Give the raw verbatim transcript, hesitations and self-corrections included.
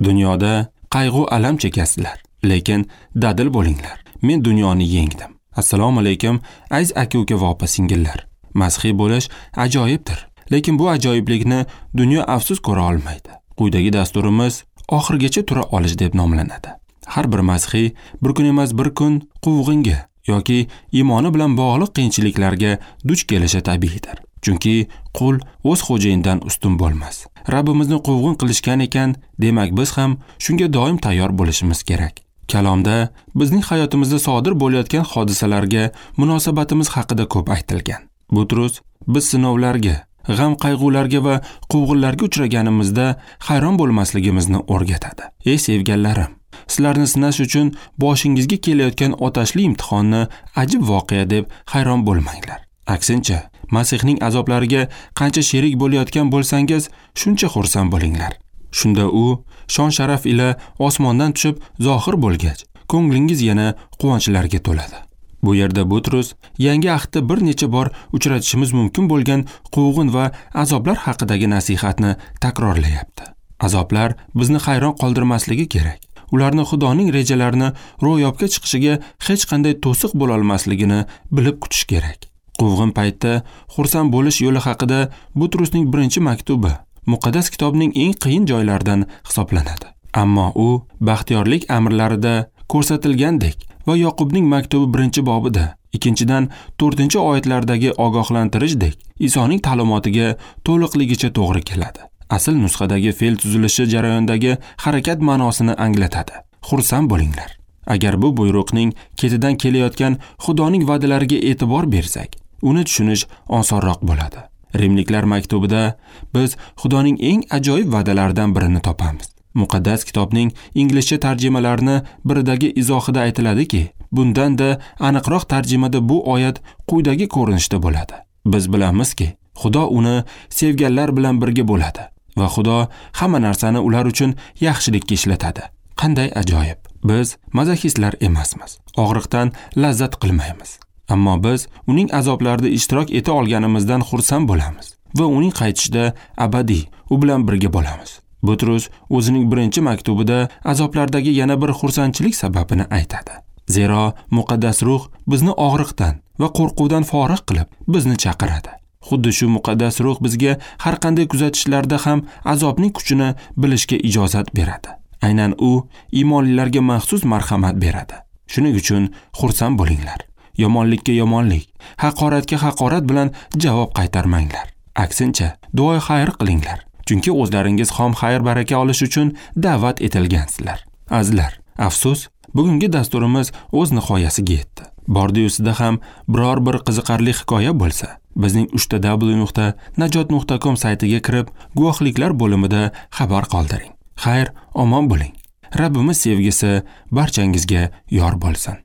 Dunyoda qayg'u alam chekasizlar, lekin dadil bo'linglar. Men dunyoni yengdim. Assalomu alaykum, aziz aka-uka va opa-singillar. Masihiy bo'lish ajoyibdir, lekin bu ajoyiblikni dunyo afsus ko'ra olmaydi. Quyidagi dasturimiz oxirigacha tura olish deb nomlanadi. Har bir masihiy bir kun emas bir kun quvg'inga yoki iymoni bilan bog'liq qiyinchiliklarga duch kelishi tabiiydir. Chunki qul o'z xo'jayinidan ustun bo'lmas. Rabbimizni quvg'in qilishgan ekan, demak biz ham shunga doim tayyor bo'lishimiz kerak. Kalomda bizning hayotimizda sodir bo'layotgan hodisalarga munosabatimiz haqida ko'p aytilgan. Butrus biz sinovlarga, g'am qayg'ularga va quvg'inlarga uchraganimizda hayron bo'lmasligimizni o'rgatadi. Ey sevganlarim, sizlarni sinash uchun boshingizga kelayotgan otashli imtihonni ajib voqea deb hayron bo'lmanglar. Aksincha, Masihning azoblariga qancha sherik bo'layotgan bo'lsangiz, shuncha xursand bo'linglar. Shunda u shon sharaf ila osmondan tushib zohir bo'lgach, ko'nglingiz yana quvonchlarga to'ladi. Bu yerda Butrus yangi ahdda bir necha bor uchratishimiz mumkin bo'lgan quvg'in va azoblar haqidagi nasihatni takrorlayapti. Azoblar bizni hayron qoldirmasligi kerak. Ularni Xudoning rejalarini ro'yobga chiqishiga hech qanday to'siq bo'la olmasligini bilib kutish kerak. Quvg'in paytda xursand bo'lish yo'li haqida Butrusning birinchi maktubi muqaddas kitobning eng qiyin joylaridan hisoblanadi. Ammo u baxtiyorlik amrlarida ko'rsatilgandek va Yoqubning maktubi birinchi bobida, ikkinchidan to'rtinchi oyatlardagi ogohlantirishdek Isoning ta'limotiga to'liqligicha to'g'ri keladi. Asl nusxadagi fe'l tuzilishi jarayondagi harakat ma'nosini anglatadi. Xursand bo'linglar. Agar bu buyruqning ketidan kelayotgan Xudoning va'dalariga e'tibor bersak, uni tushunish osonroq bo'ladi. Rimliklar maktubida biz Xudoning eng ajoyib va'dalaridan birini topamiz. Muqaddas kitobning inglizcha tarjimalarini biridagi izohida aytiladiki, bundan-da aniqroq tarjimada bu oyat quyidagi ko'rinishda bo'ladi. Biz bilamizki, Xudo uni sevganlar bilan birga bo'ladi va Xudo hamma narsani ular uchun yaxshilikka ishlatadi. Qanday ajoyib! Biz mazoxistlar emasmiz. Og'riqdan lazzat qilmaymiz. Ammo biz uning azoblarida ishtirok eta olganimizdan xursand bo'lamiz va uning qaytishida abadiy u bilan birga bo'lamiz. Butrus o'zining birinchi maktubida azoblardagi yana bir xursandchilik sababini aytadi. Zero muqaddas ruh bizni og'riqdan va qo'rquvdan forig' qilib, bizni chaqiradi. Xuddi shu muqaddas ruh bizga har qanday kuzatishlarda ham azobning kuchini bilishga ijozat beradi. Aynan u iymonlilarga maxsus marhamat beradi. Shuning uchun xursand bo'linglar. Yomonlikka yomonlik, haqoratga haqorat bilan javob qaytarmanglar. Aksincha, duo xayr qilinglar. Chunki o'zlaringiz xom xayr baraka olish uchun da'vat etilgansizlar. Azizlar, afsus, bugungi dasturimiz o'z nihoyasiga yetdi. Bordi-yusida ham biror bir qiziqarli hikoya bo'lsa, bizning uch ta dabl yu nuqta najot nuqta com saytiga kirib, guvohliklar bo'limida xabar qoldiring. Xayr, omon bo'ling. Rabbimiz sevgisi barchangizga yor bo'lsin.